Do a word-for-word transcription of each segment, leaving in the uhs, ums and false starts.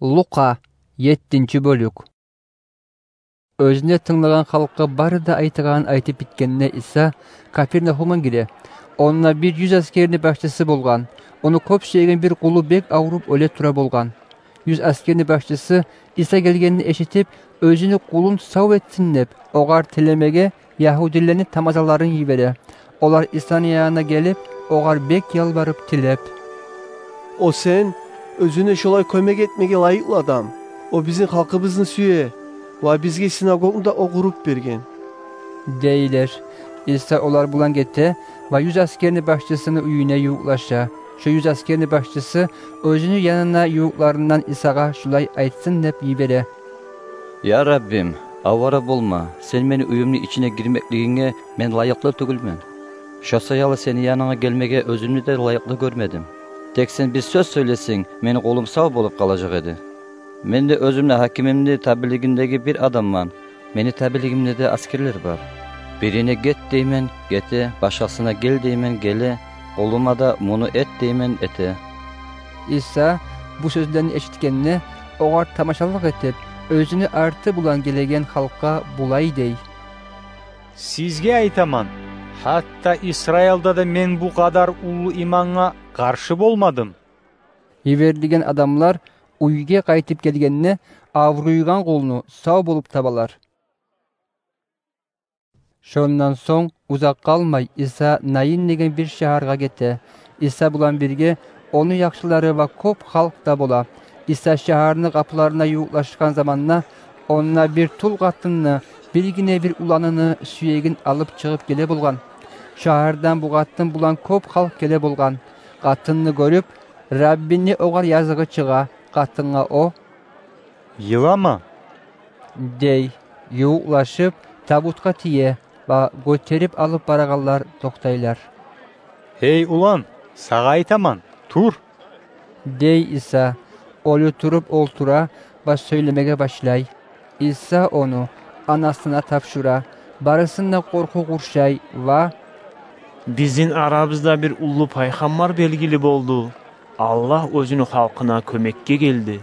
Лукъа, еттинчи бёлюк. Оьзюне тынглагъан халкъгъа бары да айтагъанын айтып битгенде, Иса Капернагьумгъа гире. Онда бир юз аскерни башчысы болгъан. Ону кёп сюеген бир къулу бек авруп оьле тура болгъан. Юз аскерни башчысы Иса гелгенни эшитип, оьзюню къулун сав этсин деп, огъар тилемеге ягьудилени тамазаларын йибере. Олар Исаны янына гелип, огъар бек ялбарып тилеп: «О сен оьзюнге шолай кёмек этмеге лайыкълы адам. О бизин халкъыбызны сюе ва бизге синагогну да о къуруп берген», — дейлер. Иса олар булан гете ва юз аскерни башчысыны уьюне ювукълаша. Шо юз аскерни башчысы оьзюню янына ювукъларындан Исагъа шулай айтсын деп йибере: «Я Раббим, авара болма, сен мени уьюмню ичине гирмеклигинге мен лайыкълы тюгюлмен. Шо саялы сени янынга гелмеге оьзюмню де лайыкълы гёрмедим. Тек сен бир сёз сёйлесенг, мени къулум сав болуп къалажакъ эди. Мен де оьзюмню гьакимимни табийлигиндеги бир адамман. Мени табийлигимде де аскерлер бар. Бирине: „Гет“, — деймен — гете, башгъасына: „Гел“, — деймен — геле, къулума да: „Муну эт“, — деймен — эте». Иса бу сёзлени эшитгенде, огъар тамашалыкъ этип, оьзюню арты булан гелеген халкъгъа булай дей: «Сизге айтаман, гьатта Исраилда да мен бу къадар уллу имангъа къаршы болмадым». Йиберилген адамлар уьйге къайтып гелгенде, авруйгъан къулну сав болуп табалар. Шондан сонг узакъ къалмай Иса Наин деген бир шагьаргъа гете. Иса булан бирге ону яхшылары ва кёп халкъ да бола. Иса шагьарны къапуларына ювукълашгъан заманда, онда бир тул къатынны биргине бир уланыны сюегин алып чыгъып геле болгъан. Шагьардан бу къатын булан кёп халкъ геле болгъан. Къатынны гёрюп, Раббини огъар языгъы чыгъа. Къатынгъа о: «Йылама», — дей. Ювукълашып, табутгъа тие ва гётерип алып барагъанлар токътайлар. «Гьей улан, сагъа айтаман, тур», — дей Иса. Оьлю туруп олтура ва сёйлемеге башлай. Иса ону анасына тапшура. Барысын да къоркъув къуршай ва: «Бизин арабызда бир уллу пайхаммар белгили болду. Аллагь оьзюню халкъына кёмекге гелди»,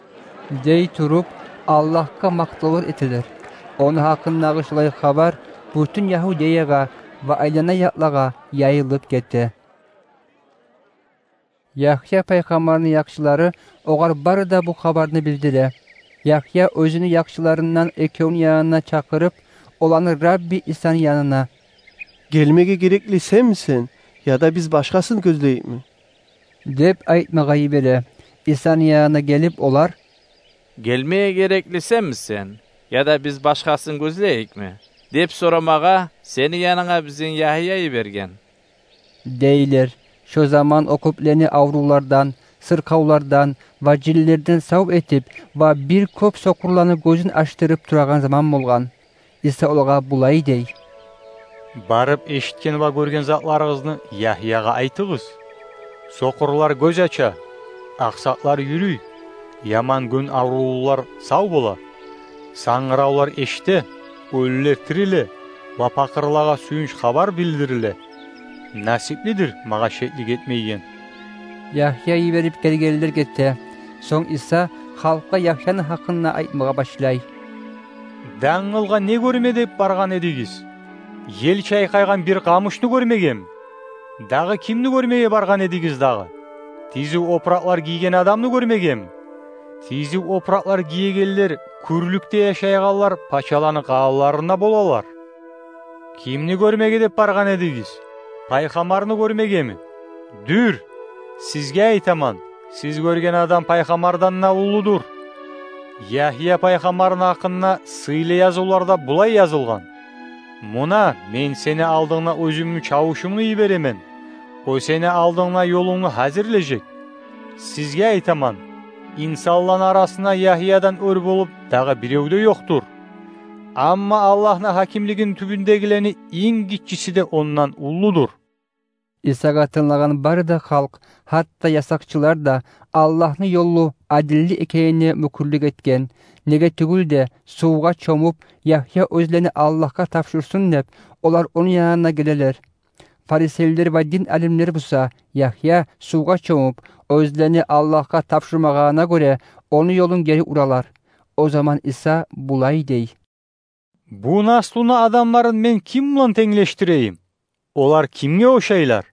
— дей туруп, Аллагьгъа макътавлар этелер. Ону гьакъындагъы шулай хабар бютюн Ягьудеягъа ва айлана якълагъа яйылып гете. Ягья пайхаммарны яхшылары огъар бары да бу хабарны билдире. Ягья оьзюню яхшыларындан экевню янына чакъырып, оланы Рабби Исаны янына: «Гелмеге герекли сенмисен, яда биз башгъасын гёзлейикми?» — деп айтмагъа йибере. Исаны янына гелип олар: «Гелмеге герекли сенмисен, яда биз башгъасын гёзлейикми?» — деп сорамагъа сени янынгъа бизин Ягья йиберген, — дейлер. Шо заман о кёплени аврувлардан, сыркъавлардан ва жинлерден сав этип ва бир кёп сокъурланы гёзюн ачдырып турагъан заман болгъан. Иса олагъа булай дей: «Барып эшитген ва гёрген затларыгъызны Ягьягъа айтыгъыз. Сокъурлар гёз ача, акъсакълар юрюй, яман гён аврувлулар сав бола, сангыравлар эшите, оьлюлер тириле ва пакъырлагъа сююнч хабар билдириле. Насиплидир магъа шеклик этмейген». Ягья йиберип гелгенлер гете. Сонг Иса халкъгъа Ягьяны гьакъында айтмагъа башлай: «Дангылгъа не гёрме деп баргъан эдигиз? Ел чайкъайгъан бир къамушну гёрмегеми? Дагъы кимни гёрмеге баргъан эдигиз дагъы? Тизив опуракълар гийген адамны гёрмегеми? Тизив опуракълар гиегенлер кюрлюкде яшайгъанлар пачаланы къалаларында болалар. Кимни гёрмеге деп баргъан эдигиз? Пайхаммарны гёрмегеми? Дюр, сизге айтаман, сиз гёрген адам пайхаммардан да уллудур. Ягья пайхаммарны гьакъында сыйлы язывларда булай язылгъан: „Муна, мен сени алдынгда оьзюмню чавушумну йиберемен. О сени алдынгда ёлунгну гьазирлежек“. Сизге айтаман, инсанланы арасында Ягьядан оьр болуп дагъы бирев де ёкъдур. Амма Аллагьны гьакимлигини тюбюндегилени инг гиччиси де ондан уллудур». Исагъа тынглагъан бары да халкъ, гьатта ясакъчылар да, Аллагьны ёлу адилли экенине мюкюрлюк этген. Неге тюгюл де, сувгъа чомуп, Ягья оьзлени Аллагьгъа тапшурсун деп, олар ону янына гелелер. Фарисейлер ва дин алимлер буса, Яхья сувгъа чомуп, оьзлени Аллагьгъа тапшурмагъанына гёре, ону ёлун гери уралар. О заман Иса булай дей: «Бу наслуну адамларын мен ким булан тенглешдирейим? Олар кимге ошайлар?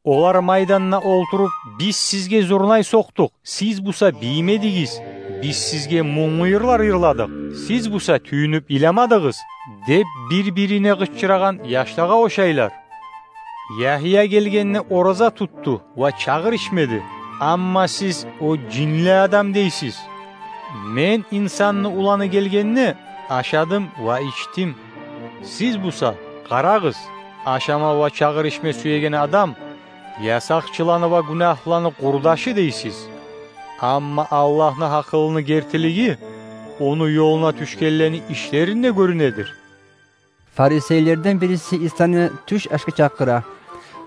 Олар майданда олтуруп: „Биз сизге зурнай сокъдукъ, сиз буса биймедигиз. Биз сизге мунглу йырлар йырладыкъ, сиз буса тюйюнюп йыламадыгъыз“, – деп бир-бирине къычырагъан яшлагъа ошайлар. Яхья гелгенде ораза тутду ва чагъыр ичмеди, амма сиз: „О жинли адам“, – дейсиз. Мен, инсанны уланы, гелгенде ашадым ва ичдим. Сиз буса: „Къарагъыз, ашама ва чагъыр ичме сюеген адам ясакъчыланы ва гюнагьлыланы къурдашы“, – дейсиз. Амма Аллагьны гьакъылыны гертилиги ону ёлуна тюшгенлени ишлеринде гёрюнедир». Фарисейлерден бириси Исаны тюш ашгъа чакъыра.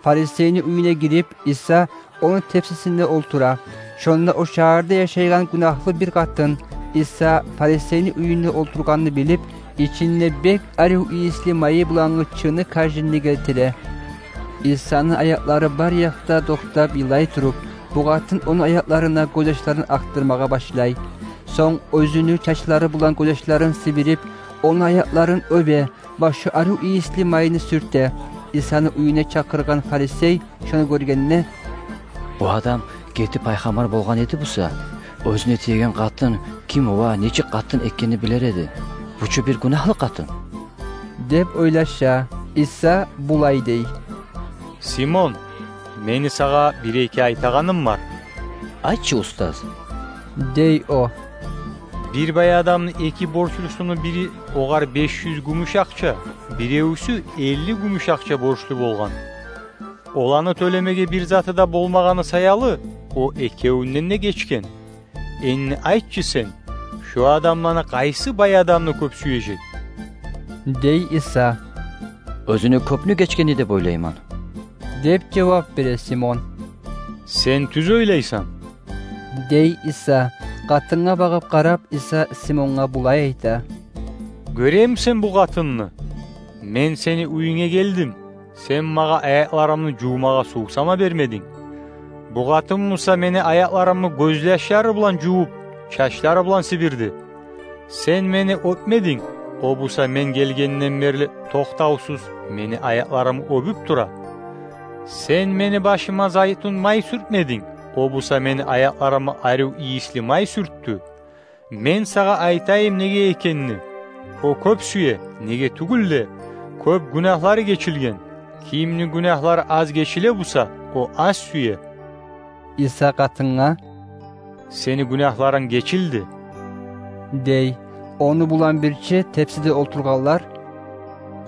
Фарисейни уьюне гирип, Иса ону тепсисинде олтура. Шонда о шагьарда яшайгъан гюнагьлы бир къатын, Иса фарисейни уьюнде олтургъанны билип, ичинде бек арив ийисли майы булангъы чыны кожинни гелтире. Исаны аякълары бар якъда токътап йылай туруп, бу къатын ону аякъларына гёзьяшларын акъдырмагъа башлай. Сонг оьзюню чачлары булан гёзьяшларын сибирип, ону аякъларын оьбе ва шо арив ийисли майны сюрте. Исаны уьюне чакъыргъан фарисей шону гёргенде: «Бу адам герти пайхаммар болгъан эди буса, оьзюне тиеген къатын ким ва нечик къатын экенни билер эди. Бу чу бир гюнагьлы къатын», – деп ойлаша. Иса булай дей: «Симон, мени сагъа бир-эки айтагъаным бар». «Айтчы, устаз», – дей о. «Бир бай адамны эки борчлусуну бири огъар беш юз гюмюш акъча, биревюсю элли гюмюш акъча борчлу болгъан. Оланы тёлемеге бир заты да болмагъаны саялы, о экевюнден де гечген. Энни айтчы сен, шо адамланы къайсы бай адамны кёп сюежек?» – дей Иса. «Оьзюню кёпню гечгени деп ойлайман», – деп жавап бере Симон. «Сен тюз ойлайсан», – дей Иса. Къатынгъа багъып къарап, Иса Симонгъа булай айта: «Гёремисен бу къатынны? Мен сени уьюнге гелдим, сен магъа аякъларымны жувмагъа сув сама бермединг. Бу къатын буса мени аякъларымны гёзьяшлары булан жувуп, чачлары булан сибирди. Сен мени оьпмединг, о буса мен гелгенден берли токътавсуз мени аякъларымны оьбюп тура. Сен мени башыма зайтун май сюртмединг, о буса мени аякъларыма арив ийисли май сюртдю. Мен сагъа айтайым неге экенни: о кёп сюе, неге тюгюл де, кёп гюнагьлары гечилген. Кимни гюнагьлары аз гечиле буса, о аз сюе». Иса къатынгъа: «Сени гюнагьларынг гечилди», – дей. Ону булан бирче тепсиде олтургъанлар: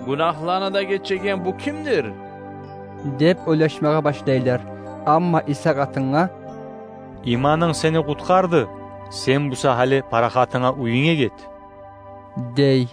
«Гюнагьланы да гечеген бу кимдир?» – деп ойлашмагъа башлайлар. Амма Иса къатынгъа: «Иманынг сени къутгъарды, сен буса гьали парахатынга уьюнге гет», – дей.